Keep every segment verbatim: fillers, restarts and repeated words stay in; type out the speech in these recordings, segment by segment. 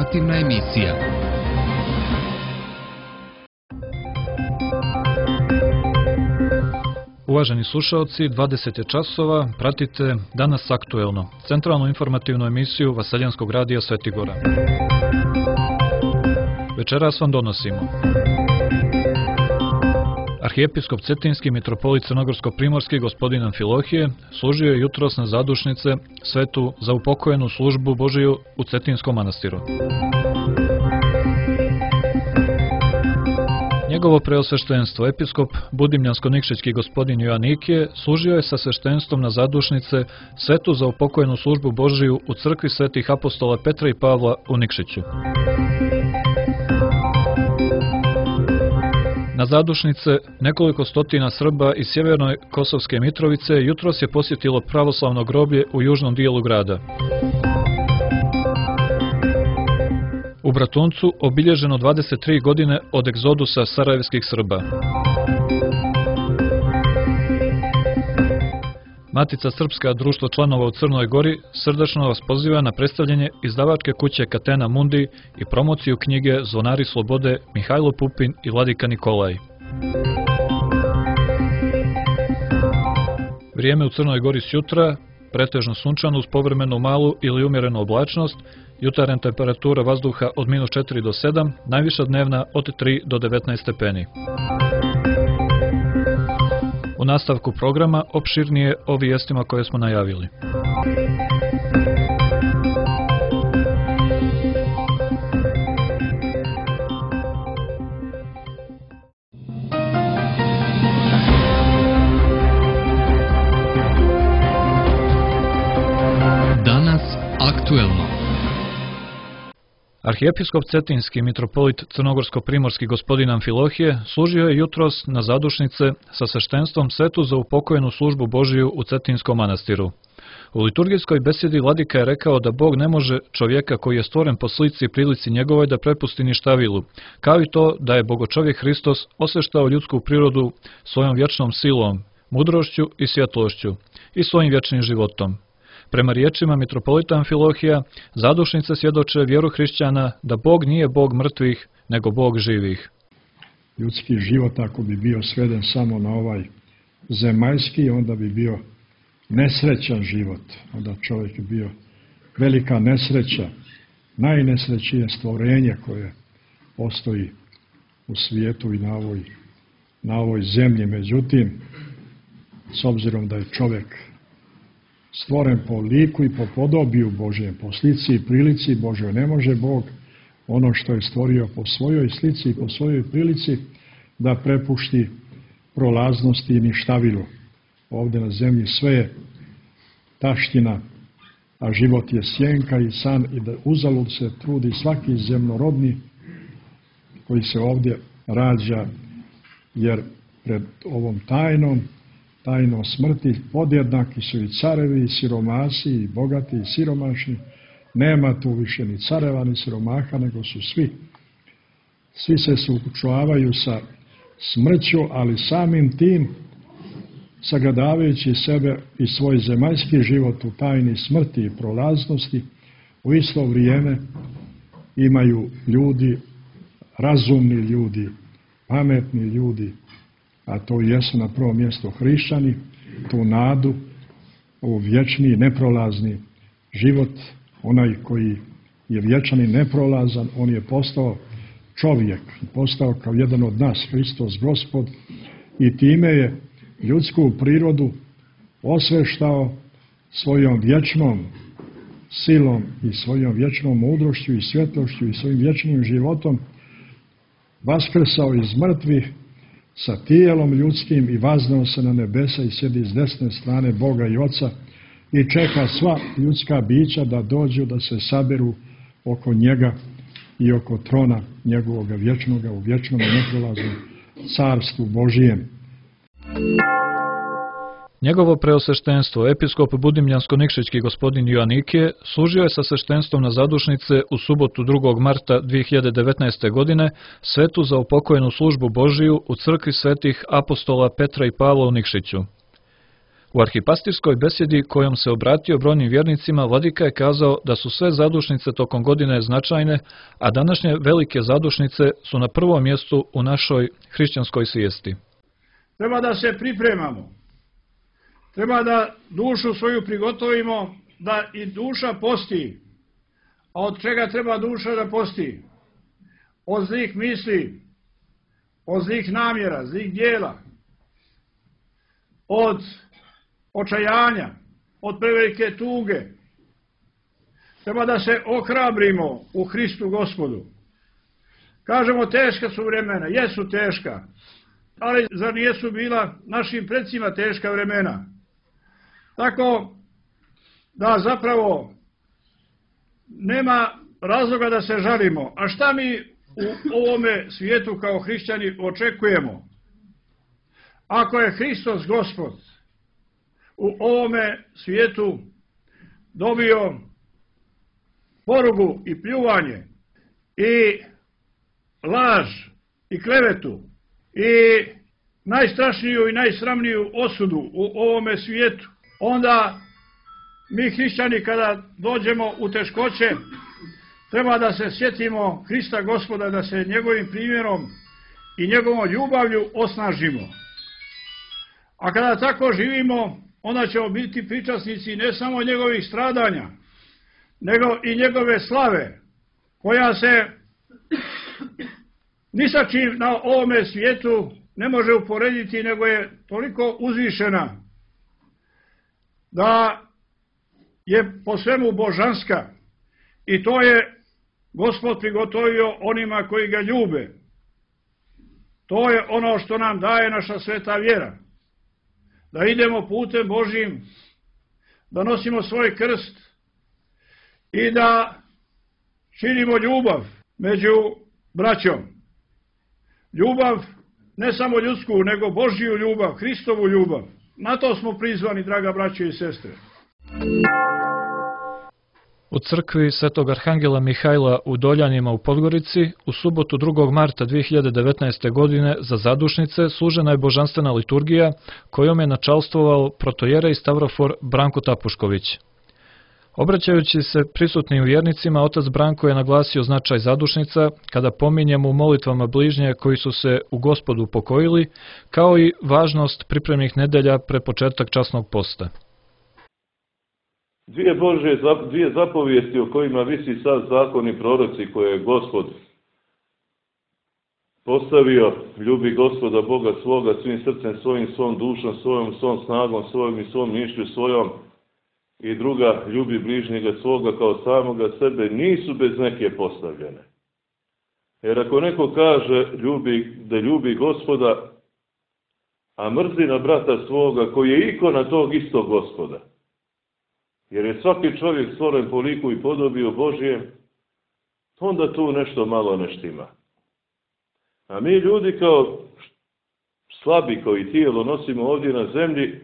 Informativna emisija. Uvaženi slušaoci, dvadeset je časova, pratite Danas aktuelno, centralnu informativnu emisiju Vaseljanskog radija Svetigora. Večeras vam donosimo. Arhijepiskop Cetinski mitropolit Crnogorsko-primorski gospodin Amfilohije služio je jutros na zadušnice svetu za upokojenu službu Božiju u Cetinskom manastiru. Njegovo preosveštenstvo, episkop Budimljansko-Nikšićki gospodin Joanikije, služio je sa sveštenstvom na zadušnice svetu za upokojenu službu Božiju u crkvi svetih apostola Petra i Pavla u Nikšiću. Na zadušnice nekoliko stotina Srba iz sjevernoj Kosovske Mitrovice jutros je posjetilo pravoslavno groblje u južnom dijelu grada. U Bratuncu obilježeno dvadeset tri godine od egzodusa sarajevskih Srba. Matica Srpska, društvo članova u Crnoj Gori, srdačno vas poziva na predstavljanje izdavačke kuće Catena Mundi i promociju knjige Zvonari slobode Mihajlo Pupin i Vladika Nikolaj. Vrijeme u Crnoj Gori sjutra, pretežno sunčano uz povremenu malu ili umjerenu oblačnost, jutarnja temperatura vazduha od minus četiri do sedam, najviša dnevna od tri do devetnaest stepeni. U nastavku programa opširnije o vijestima koje smo najavili. Danas aktuelno. Arhijepiskop Cetinski mitropolit Crnogorsko-primorski gospodin Amfilohije služio je jutros na zadušnice sa sveštenstvom svetu za upokojenu službu Božiju u Cetinskom manastiru. U liturgijskoj besedi vladika je rekao da Bog ne može čovjeka koji je stvoren po slici i prilici njegovoj da prepusti ništa vilu, kao i to da je bogočovjek Hristos osveštao ljudsku prirodu svojom vječnom silom, mudrošću i svjetlošću i svojim vječnim životom. Prema riječima mitropolita Amfilohija, zadušnice svjedoče vjeru hrišćana da Bog nije Bog mrtvih, nego Bog živih. Ljudski život, ako bi bio sveden samo na ovaj zemaljski, onda bi bio nesrećan život. Onda čovjek bi bio velika nesreća, najnesrećnije stvorenje koje postoji u svijetu i na ovoj, na ovoj zemlji. Međutim, s obzirom da je čovjek stvoren po liku i po podobiju Božjem, po slici i prilici Božjoj, ne može Bog ono što je stvorio po svojoj slici i po svojoj prilici da prepušti prolaznosti i ništavilu. Ovdje na zemlji sve je taština, a život je sjenka i san, i da uzalud se trudi svaki zemljorodni koji se ovdje rađa, jer pred ovom tajnom tajnom smrti podjednaki su i carevi, i siromasi, i bogati, i siromašni. Nema tu više ni careva, ni siromaha, nego su svi. Svi se suočavaju sa smrću, ali samim tim, sagledavajući sebe i svoj zemaljski život u tajni smrti i prolaznosti, u isto vrijeme imaju ljudi, razumni ljudi, pametni ljudi, a to jesu na prvom mjestu hrišćani, tu nadu, u vječni, neprolazni život. Onaj koji je vječan i neprolazan, on je postao čovjek, postao kao jedan od nas, Hristos Gospod, i time je ljudsku prirodu osveštao svojom vječnom silom i svojom vječnom mudrošću i svjetlošću i svojim vječnim životom, vaskrsao iz mrtvih sa tijelom ljudskim i vaznao se na nebesa i sjedi s desne strane Boga i Oca i čeka sva ljudska bića da dođu, da se saberu oko njega i oko trona njegovog vječnoga u vječnom i neprolaznom carstvu Božijem. Njegovo preosveštenstvo, episkop Budimljansko-Nikšićki gospodin Joanikije, služio je sa sveštenstvom na zadušnice u subotu drugog marta dvije hiljade devetnaeste. godine svetu za upokojenu službu Božiju u crkvi svetih apostola Petra i Pavla u Nikšiću. U arhipastirskoj besjedi kojom se obratio brojnim vjernicima, vladika je kazao da su sve zadušnice tokom godine značajne, a današnje velike zadušnice su na prvom mjestu u našoj hrišćanskoj svijesti. Treba da se pripremamo. Treba da dušu svoju prigotovimo, da i duša posti. A od čega treba duša da posti? Od zlih misli, od zlih namjera, zlih dijela, od očajanja, od prevelike tuge. Treba da se ohrabrimo u Hristu Gospodu. Kažemo, teška su vremena, jesu teška, ali zar nijesu bila našim predsima teška vremena? Tako da zapravo nema razloga da se žalimo. A šta mi u ovome svijetu kao hrišćani očekujemo? Ako je Hristos Gospod u ovome svijetu dobio porugu i pljuvanje i laž i klevetu i najstrašniju i najsramniju osudu u ovome svijetu, onda mi hrišćani kada dođemo u teškoće treba da se sjetimo Hrista Gospoda, da se njegovim primjerom i njegovom ljubavlju osnažimo. A kada tako živimo, onda ćemo biti pričasnici ne samo njegovih stradanja, nego i njegove slave, koja se ni sa čim na ovome svijetu ne može uporediti, nego je toliko uzvišena da je po svemu božanska, i to je Gospod prigotovio onima koji ga ljube. To je ono što nam daje naša sveta vjera. Da idemo putem Božjim, da nosimo svoj krst i da širimo ljubav među braćom. Ljubav ne samo ljudsku, nego Božju ljubav, Hristovu ljubav. Na to smo prizvani, draga braćo i sestre. U crkvi Svetog Arhangela Mihajla u Doljanima u Podgorici u subotu drugog marta dve hiljade devetnaeste. godine za zadušnice služena je božanstvena liturgija kojom je načalstvovao protojerej Stavrofor Branko Tapušković. Obraćajući se prisutnim vjernicima, otac Branko je naglasio značaj zadušnica kada pominjemo u molitvama bližnje koji su se u Gospodu pokojili, kao i važnost pripremnih nedelja pre početak časnog posta. Dvije Božje, dvije zapovijesti o kojima visi sad zakon i proroci koje je Gospod postavio: ljubi Gospoda Boga svoga svim srcem svojim, svom dušom svojom, svom snagom svojom i svom mišlju svojom, i druga, ljubi bližnjega svoga kao samoga sebe, nisu bez neke postavljene. Jer ako neko kaže ljubi, da ljubi Gospoda, a mrzi na brata svoga koji je ikona tog istog Gospoda, jer je svaki čovjek stvoren po liku i podobiju Božjem, onda tu nešto malo ne štima. A mi ljudi kao slabi, koji tijelo nosimo ovdje na zemlji,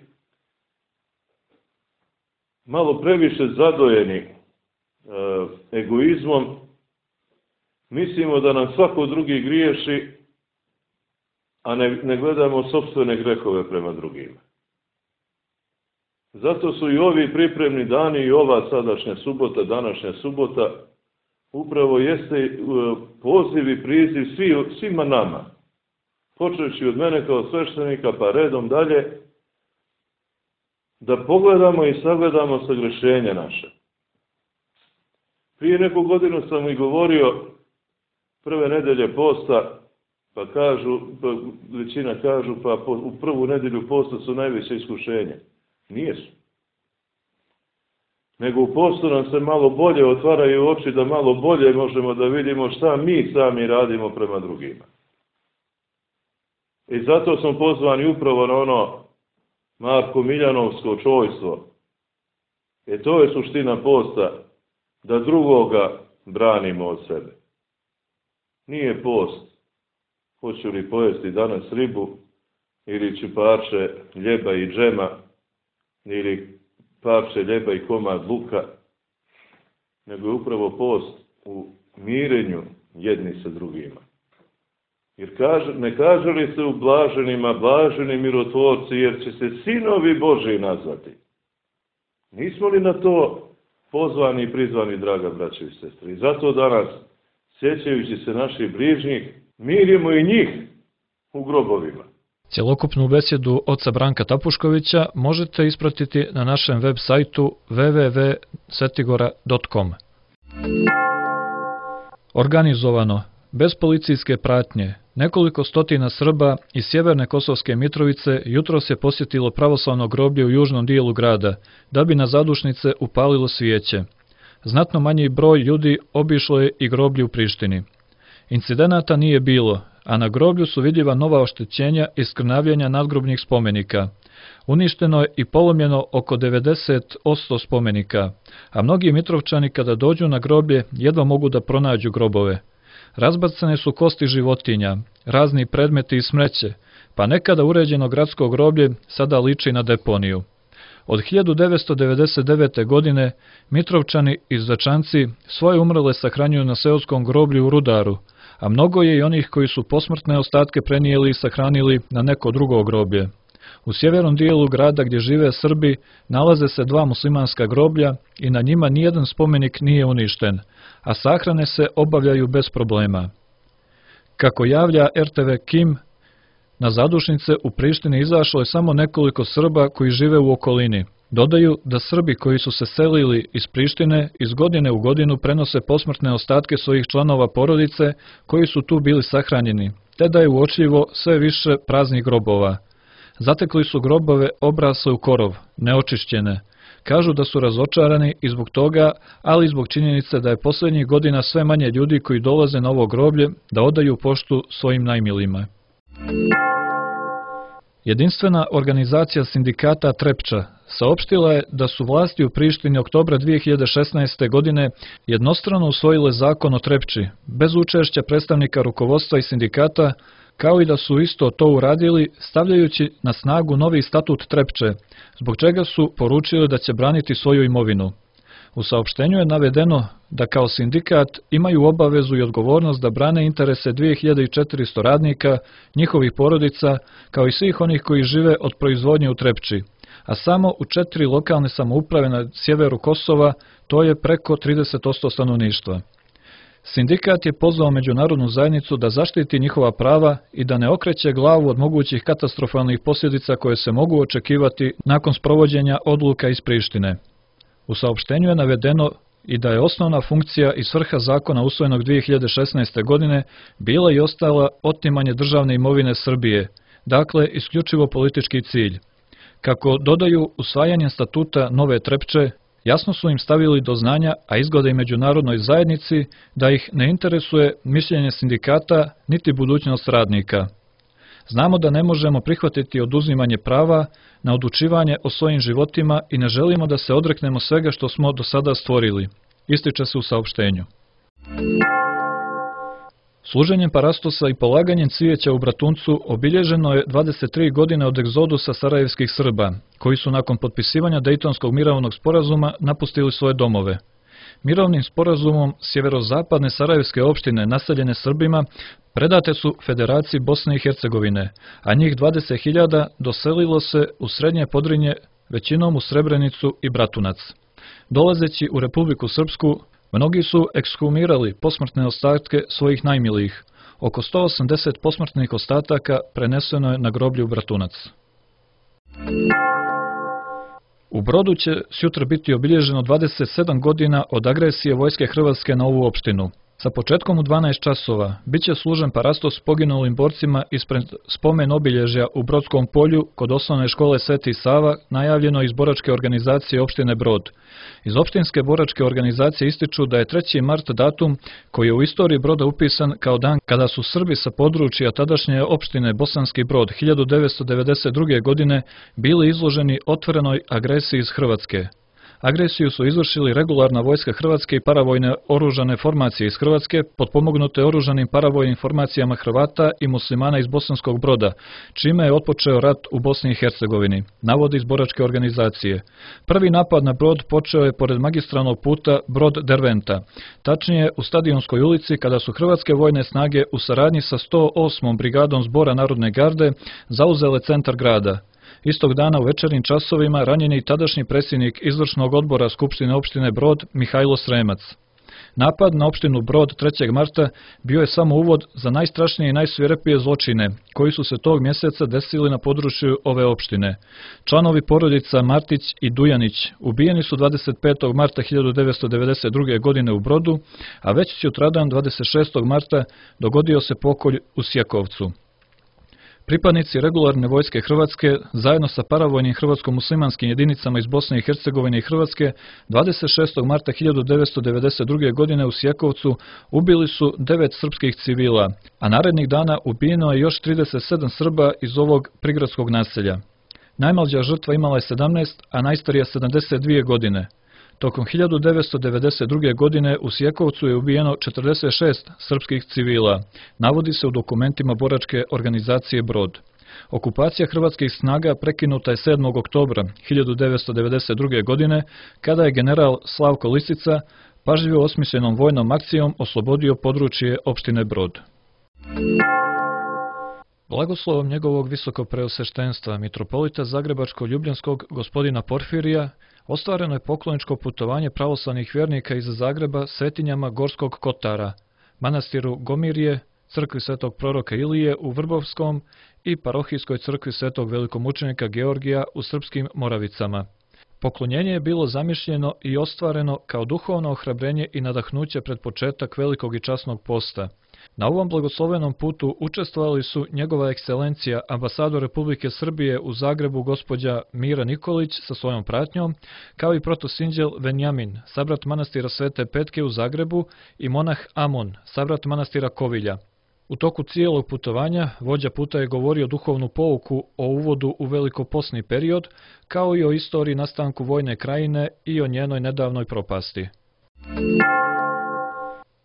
malo previše zadojeni e, egoizmom, mislimo da nam svako drugi griješi, a ne, ne gledamo sopstvene grehove prema drugima. Zato su i ovi pripremni dani i ova sadašnja subota, današnja subota, upravo jeste poziv i priziv svi, svima nama, počeći od mene kao sveštenika pa redom dalje, da pogledamo i sagledamo sagrešenja naše. Prije neku godinu sam i govorio prve nedelje posta, pa kažu, pa većina kažu, pa u prvu nedelju posta su najveće iskušenje. Nije su. Nego u postu nam se malo bolje otvaraju oči, da malo bolje možemo da vidimo šta mi sami radimo prema drugima. I zato smo pozvani upravo na ono Marko Miljanovsko čojstvo. E to je suština posta, da drugoga branimo od sebe. Nije post, hoću li pojesti danas ribu, ili ću parče ljeba i džema, ili parče ljeba i komad luka, nego je upravo post u mirenju jedni sa drugima. Jer kaže, ne kaže li se u blaženima, blaženi mirotvorci, jer će se sinovi Božji nazvati. Nismo li na to pozvani i prizvani, draga braće i sestre? I zato danas, sjećajući se naših bližnjih, mirimo i njih u grobovima. Cjelokupnu besjedu oca Branka Tapuškovića možete ispratiti na našem web sajtu w w w tačka svetigora tačka com. Organizovano, bez policijske pratnje, nekoliko stotina Srba iz sjeverne Kosovske Mitrovice jutros je posjetilo pravoslavno groblje u južnom dijelu grada, da bi na zadušnice upalilo svijeće. Znatno manji broj ljudi obišlo je i groblje u Prištini. Incidenata nije bilo, a na groblju su vidljiva nova oštećenja i skrnavljenja nadgrobnih spomenika. Uništeno je i polomljeno oko devedeset posto spomenika, a mnogi Mitrovčani kada dođu na groblje jedva mogu da pronađu grobove. Razbacane su kosti životinja, razni predmeti i smeće, pa nekada uređeno gradsko groblje sada liči na deponiju. Od hiljadu devetsto devedeset devete. godine Mitrovčani i Zečanci svoje umrle sahranjuju na seoskom groblju u Rudaru, a mnogo je i onih koji su posmrtne ostatke prenijeli i sahranili na neko drugo groblje. U sjevernom dijelu grada gdje žive Srbi nalaze se dva muslimanska groblja i na njima nijedan spomenik nije uništen, a sahrane se obavljaju bez problema. Kako javlja er te ve Kim, na zadušnice u Prištini izašlo je samo nekoliko Srba koji žive u okolini. Dodaju da Srbi koji su se selili iz Prištine iz godine u godinu prenose posmrtne ostatke svojih članova porodice koji su tu bili sahranjeni, te da je uočljivo sve više praznih grobova. Zatekli su grobove obrasle u korov, neočišćene. Kažu da su razočarani i zbog toga, ali i zbog činjenice da je posljednjih godina sve manje ljudi koji dolaze na ovo groblje da odaju poštu svojim najmilima. Jedinstvena organizacija sindikata Trepča saopštila je da su vlasti u Prištini oktobra dvije hiljade šesnaeste. godine jednostrano usvojile zakon o Trepči, bez učešća predstavnika rukovodstva i sindikata, kao i da su isto to uradili stavljajući na snagu novi statut Trepče, zbog čega su poručili da će braniti svoju imovinu. U saopštenju je navedeno da kao sindikat imaju obavezu i odgovornost da brane interese dvije hiljade četiristo radnika, njihovih porodica, kao i svih onih koji žive od proizvodnje u Trepči, a samo u četiri lokalne samouprave na sjeveru Kosova, to je preko trideset posto stanovništva. Sindikat je pozvao međunarodnu zajednicu da zaštiti njihova prava i da ne okreće glavu od mogućih katastrofalnih posljedica koje se mogu očekivati nakon sprovođenja odluka iz Prištine. U saopštenju je navedeno i da je osnovna funkcija i svrha zakona usvojenog dvije hiljade šesnaeste. godine bila i ostala otimanje državne imovine Srbije, dakle isključivo politički cilj. Kako dodaju, usvajanjem statuta nove Trepče, jasno su im stavili do znanja, a izgleda i međunarodnoj zajednici, da ih ne interesuje mišljenje sindikata niti budućnost radnika. Znamo da ne možemo prihvatiti oduzimanje prava na odlučivanje o svojim životima i ne želimo da se odreknemo svega što smo do sada stvorili, ističe se u saopštenju. Služenjem parastosa i polaganjem cvijeća u Bratuncu obilježeno je dvadeset tri godine od egzodusa sarajevskih Srba, koji su nakon potpisivanja Dejtonskog mirovnog sporazuma napustili svoje domove. Mirovnim sporazumom sjeverozapadne sarajevske opštine naseljene Srbima predate su Federaciji Bosne i Hercegovine, a njih dvadeset hiljada doselilo se u Srednje Podrinje, većinom u Srebrenicu i Bratunac. Dolazeći u Republiku Srpsku, mnogi su ekshumirali posmrtne ostatke svojih najmilijih. Oko sto osamdeset posmrtnih ostataka preneseno je na groblje u Bratunac. U Brodu će sutra biti obilježeno dvadeset sedam godina od agresije vojske Hrvatske na ovu opštinu. Sa početkom u dvanaest časova bit će služen parastos poginulim borcima ispred spomen obilježja u Brodskom polju kod osnovne škole Sveti Sava, najavljeno iz boračke organizacije opštine Brod. Iz opštinske boračke organizacije ističu da je treći mart datum koji je u istoriji Broda upisan kao dan kada su Srbi sa područja tadašnje opštine Bosanski Brod hiljadu devetsto devedeset druge. godine bili izloženi otvorenoj agresiji iz Hrvatske. Agresiju su izvršili regularna vojska Hrvatske i paravojne oružane formacije iz Hrvatske, potpomognute oružanim paravojnim formacijama Hrvata i muslimana iz Bosanskog Broda, čime je otpočeo rat u Bosni i Hercegovini, navodi iz boračke organizacije. Prvi napad na brod počeo je pored magistralnog puta Brod Derventa, tačnije u Stadionskoj ulici, kada su hrvatske vojne snage u saradnji sa sto osmom brigadom Zbora Narodne garde zauzele centar grada. Istog dana u večernjim časovima ranjen je i tadašnji predsjednik izvršnog odbora Skupštine opštine Brod Mihajlo Sremac. Napad na opštinu Brod trećeg marta bio je samo uvod za najstrašnije i najsvirepije zločine koji su se tog mjeseca desili na području ove opštine. Članovi porodica Martić i Dujanić ubijeni su dvadeset petog marta hiljadu devetsto devedeset druge. godine u Brodu, a već sutradan dvadeset šestog marta dogodio se pokolj u Sjekovcu. Pripadnici regularne vojske Hrvatske, zajedno sa paravojnim hrvatsko-muslimanskim jedinicama iz Bosne i Hercegovine i Hrvatske, dvadeset šestog marta hiljadu devetsto devedeset druge. godine u Sjekovcu ubili su devet srpskih civila, a narednih dana ubijeno je još trideset sedam Srba iz ovog prigradskog naselja. Najmlađa žrtva imala je sedamnaest, a najstarija sedamdeset dvije godine. Tokom hiljadu devetsto devedeset druge. godine u Sjekovcu je ubijeno četrdeset šest srpskih civila, navodi se u dokumentima boračke organizacije Brod. Okupacija hrvatskih snaga prekinuta je sedmog oktobra hiljadu devetsto devedeset druge. godine, kada je general Slavko Lisica pažljivo osmišljenom vojnom akcijom oslobodio područje opštine Brod. Blagoslovom njegovog visokopreosveštenstva mitropolita Zagrebačko-Ljubljanskog gospodina Porfirija ostvareno je pokloničko putovanje pravoslavnih vjernika iz Zagreba svetinjama Gorskog Kotara, manastiru Gomirje, crkvi svetog proroka Ilije u Vrbovskom i parohijskoj crkvi svetog velikomučenika Georgija u Srpskim Moravicama. Poklonjenje je bilo zamišljeno i ostvareno kao duhovno ohrabrenje i nadahnuće pred početak velikog i časnog posta. Na ovom blagoslovenom putu učestvovali su njegova ekscelencija ambasador Republike Srbije u Zagrebu gospođa Mira Nikolić sa svojom pratnjom, kao i protosinđel Venjamin, sabrat manastira Svete Petke u Zagrebu, i monah Amon, sabrat manastira Kovilja. U toku cijelog putovanja vođa puta je govorio duhovnu pouku o uvodu u velikoposni period, kao i o istoriji nastanku vojne krajine i o njenoj nedavnoj propasti.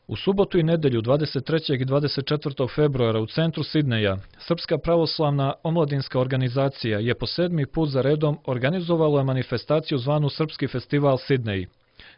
U subotu i nedelju dvadeset trećeg i dvadeset četvrtog februara u centru Sidneja Srpska pravoslavna omladinska organizacija je po sedmi put za redom organizovala manifestaciju zvanu Srpski festival Sidnej.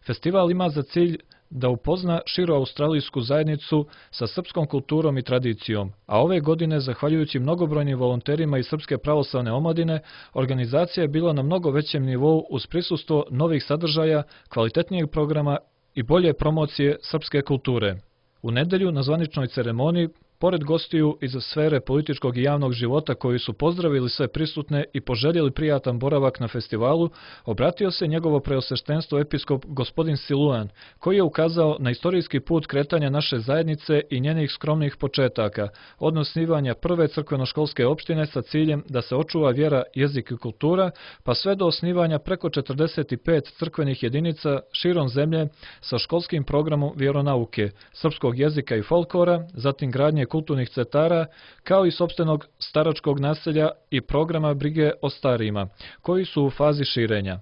Festival ima za cilj da upozna širu australijsku zajednicu sa srpskom kulturom i tradicijom, a ove godine, zahvaljujući mnogobrojnim volonterima iz Srpske pravoslavne omladine, organizacija je bila na mnogo većem nivou uz prisustvo novih sadržaja, kvalitetnijeg programa i bolje promocije srpske kulture. U nedelju na zvaničnoj ceremoniji, pored gostiju iz sfere političkog i javnog života koji su pozdravili sve prisutne i poželjeli prijatan boravak na festivalu, obratio se njegovo preosveštenstvo episkop gospodin Siluan, koji je ukazao na istorijski put kretanja naše zajednice i njenih skromnih početaka, od osnivanja prve crkveno-školske opštine sa ciljem da se očuva vjera, jezik i kultura, pa sve do osnivanja preko četrdeset pet crkvenih jedinica širom zemlje sa školskim programom vjeronauke, srpskog jezika i folklora, zatim gradnje kulturnih centara, kao i sopstvenog staračkog naselja i programa brige o starijima, koji su u fazi širenja.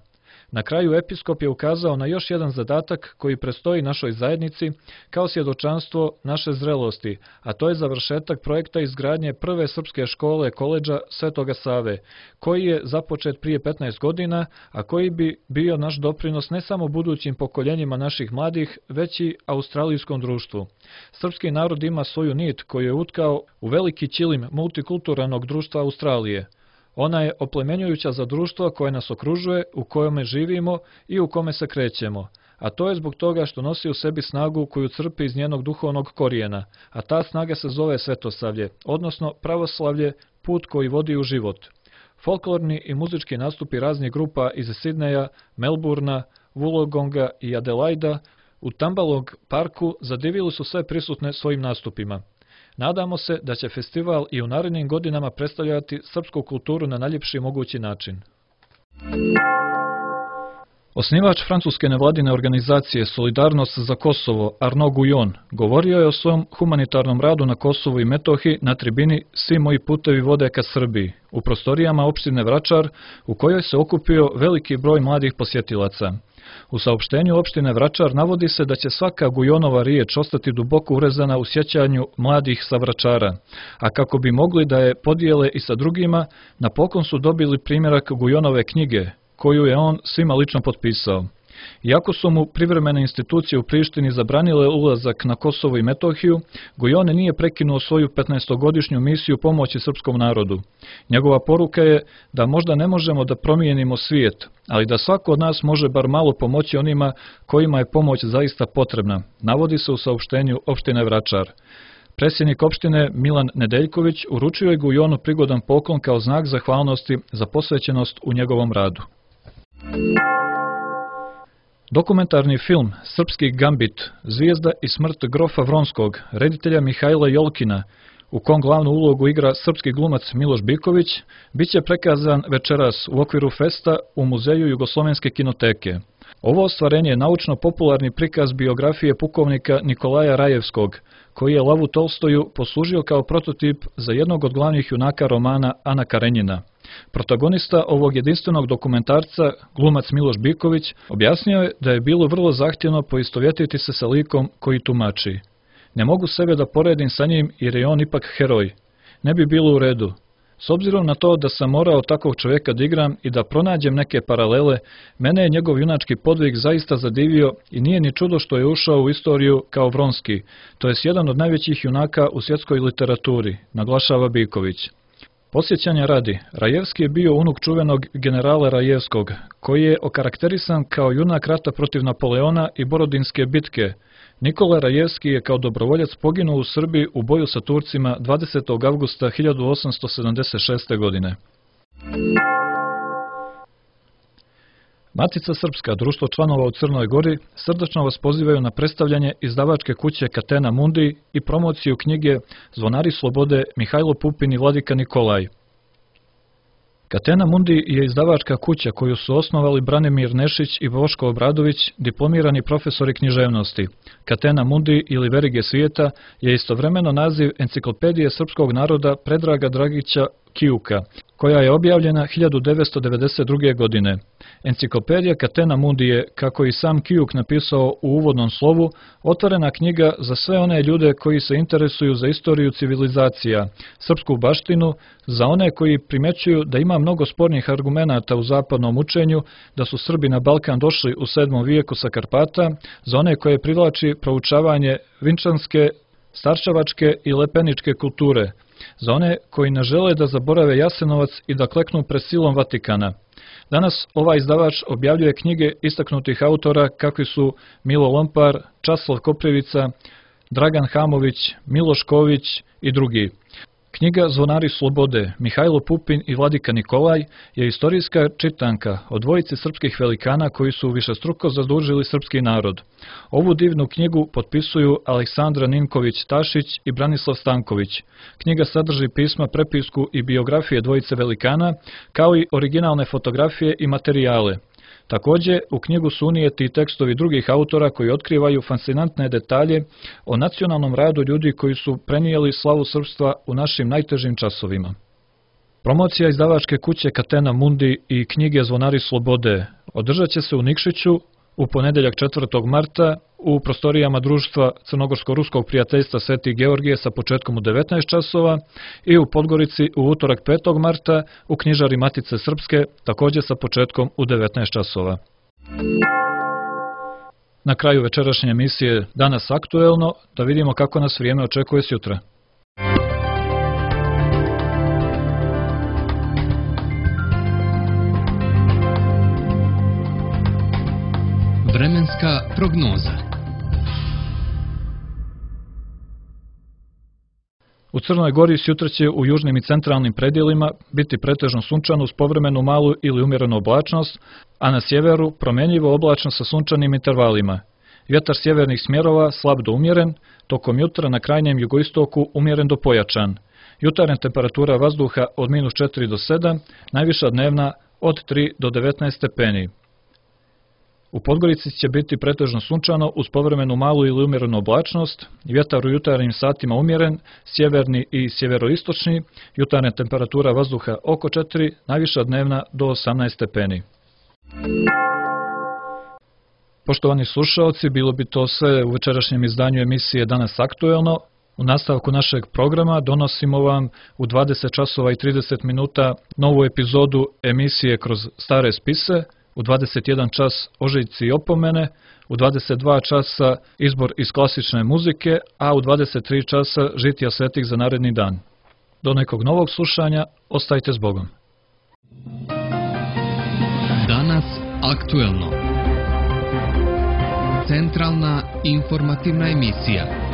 Na kraju episkop je ukazao na još jedan zadatak koji prestoji našoj zajednici kao svjedočanstvo naše zrelosti, a to je završetak projekta izgradnje prve srpske škole koledža Svetoga Save, koji je započet prije petnaest godina, a koji bi bio naš doprinos ne samo budućim pokoljenjima naših mladih, već i australijskom društvu. Srpski narod ima svoju nit koju je utkao u veliki ćilim multikulturalnog društva Australije. Ona je oplemenjujuća za društvo koje nas okružuje, u kojome živimo i u kome se krećemo, a to je zbog toga što nosi u sebi snagu koju crpi iz njenog duhovnog korijena, a ta snaga se zove svetosavlje, odnosno pravoslavlje, put koji vodi u život. Folklorni i muzički nastupi raznih grupa iz Sidneja, Melburna, Wollongonga i Adelaida u Tambalog parku zadivili su sve prisutne svojim nastupima. Nadamo se da će festival i u narednim godinama predstavljati srpsku kulturu na najljepši mogući način. Osnivač francuske nevladine organizacije Solidarnost za Kosovo, Arnaud Guyon, govorio je o svom humanitarnom radu na Kosovu i Metohiji na tribini Svi moji putevi vode ka Srbiji, u prostorijama opštine Vračar, u kojoj se okupio veliki broj mladih posjetilaca. U saopštenju opštine Vračar navodi se da će svaka Gujonova riječ ostati duboko urezana u sjećanju mladih sa Vračara, a kako bi mogli da je podijele i sa drugima, napokon su dobili primjerak Gujonove knjige, koju je on svima lično potpisao. Iako su mu privremene institucije u Prištini zabranile ulazak na Kosovo i Metohiju, Gujon nije prekinuo svoju petnaestogodišnju misiju pomoći srpskom narodu. Njegova poruka je da možda ne možemo da promijenimo svijet, ali da svako od nas može bar malo pomoći onima kojima je pomoć zaista potrebna, navodi se u saopštenju opštine Vračar. Predsjednik opštine Milan Nedeljković uručio je Gujonu prigodan poklon kao znak zahvalnosti za posvećenost u njegovom radu. Dokumentarni film Srpski gambit, zvijezda i smrt grofa Vronskog, reditelja Mihajla Jolkina, u kom glavnu ulogu igra srpski glumac Miloš Biković, bit će prikazan večeras u okviru festa u Muzeju Jugoslovenske kinoteke. Ovo ostvarenje je naučno-popularni prikaz biografije pukovnika Nikolaja Rajevskog, koji je Lavu Tolstoju poslužio kao prototip za jednog od glavnih junaka romana Ana Karenjina. Protagonista ovog jedinstvenog dokumentarca, glumac Miloš Biković, objasnio je da je bilo vrlo zahtjevno poistovjetiti se sa likom koji tumači. Ne mogu sebe da poredim sa njim jer je on ipak heroj. Ne bi bilo u redu. S obzirom na to da sam morao takvog čovjeka da igram i da pronađem neke paralele, mene je njegov junački podvig zaista zadivio i nije ni čudo što je ušao u istoriju kao Vronski, to jest jedan od najvećih junaka u svjetskoj literaturi, naglašava Biković. Posjećanja radi, Rajevski je bio unuk čuvenog generala Rajevskog, koji je okarakterisan kao junak rata protiv Napoleona i Borodinske bitke. Nikola Rajevski je kao dobrovoljac poginuo u Srbiji u boju sa Turcima dvadesetog avgusta hiljadu osamsto sedamdeset šeste. godine. Matica Srpska, društvo članova u Crnoj Gori, srdačno vas pozivaju na predstavljanje izdavačke kuće Catena Mundi i promociju knjige Zvonari slobode Mihajlo Pupin i Vladika Nikolaj. Catena Mundi je izdavačka kuća koju su osnovali Branimir Nešić i Boško Obradović, diplomirani profesori književnosti. Catena Mundi ili Verige svijeta je istovremeno naziv enciklopedije srpskog naroda Predraga Dragića Kijuka, koja je objavljena hiljadu devetsto devedeset druge. godine. Enciklopedija Catena Mundi je, kako i sam Kijuk napisao u uvodnom slovu, otvorena knjiga za sve one ljude koji se interesuju za istoriju civilizacija, srpsku baštinu, za one koji primećuju da ima mnogo spornih argumenata u zapadnom učenju, da su Srbi na Balkan došli u sedmom vijeku sa Karpata, za one koje privlači proučavanje vinčanske, starčevačke i lepeničke kulture, za one koji ne žele da zaborave Jasenovac i da kleknu pred silom Vatikana. Danas ovaj izdavač objavljuje knjige istaknutih autora kakvi su Milo Lompar, Časlav Koprivica, Dragan Hamović, Miloš Ković i drugi. Knjiga Zvonari slobode, Mihajlo Pupin i Vladika Nikolaj je istorijska čitanka o dvojici srpskih velikana koji su višestruko zadužili srpski narod. Ovu divnu knjigu potpisuju Aleksandra Ninković-Tašić i Branislav Stanković. Knjiga sadrži pisma, prepisku i biografije dvojice velikana, kao i originalne fotografije i materijale. Također, u knjigu su unijeti tekstovi drugih autora koji otkrivaju fascinantne detalje o nacionalnom radu ljudi koji su prenijeli slavu srpstva u našim najtežim časovima. Promocija izdavačke kuće Catena Mundi i knjige Zvonari slobode održat će se u Nikšiću u ponedjeljak četvrtog marta u prostorijama društva Crnogorsko-ruskog prijateljstva Sveti Georgije sa početkom u devetnaest časova i u Podgorici u utorak petog marta u knjižari Matice Srpske također sa početkom u devetnaest časova. Na kraju večerašnje emisije Danas aktuelno da vidimo kako nas vrijeme očekuje sutra. Vremenska prognoza. U Crnoj Gori sutra će u južnim i centralnim predjelima biti pretežno sunčano uz povremenu malu ili umjerenu oblačnost, a na sjeveru promjenjivo oblačno sa sunčanim intervalima. Vjetar sjevernih smjerova slab do umjeren, tokom jutra na krajnjem jugoistoku umjeren do pojačan. Jutarnja temperatura vazduha od minus četiri do sedam, najviša dnevna od tri do devetnaest stepeni. U Podgorici će biti pretežno sunčano uz povremenu malu ili umjerenu oblačnost, vjetar u jutarnjim satima umjeren, sjeverni i sjeveroistočni, jutarnja temperatura vazduha oko četiri, najviša dnevna do osamnaest stepeni. Poštovani slušaoci, bilo bi to sve u večerašnjem izdanju emisije Danas aktuelno. U nastavku našeg programa donosimo vam u dvadeset časova i trideset minuta novu epizodu emisije Kroz stare spise, u dvadeset jedan čas Ožiljci i opomene, u dvadeset dva časa izbor iz klasične muzike, a u dvadeset tri časa žitija svetih za naredni dan. Do nekog novog slušanja, ostajte s Bogom. Danas aktuelno. Centralna informativna emisija.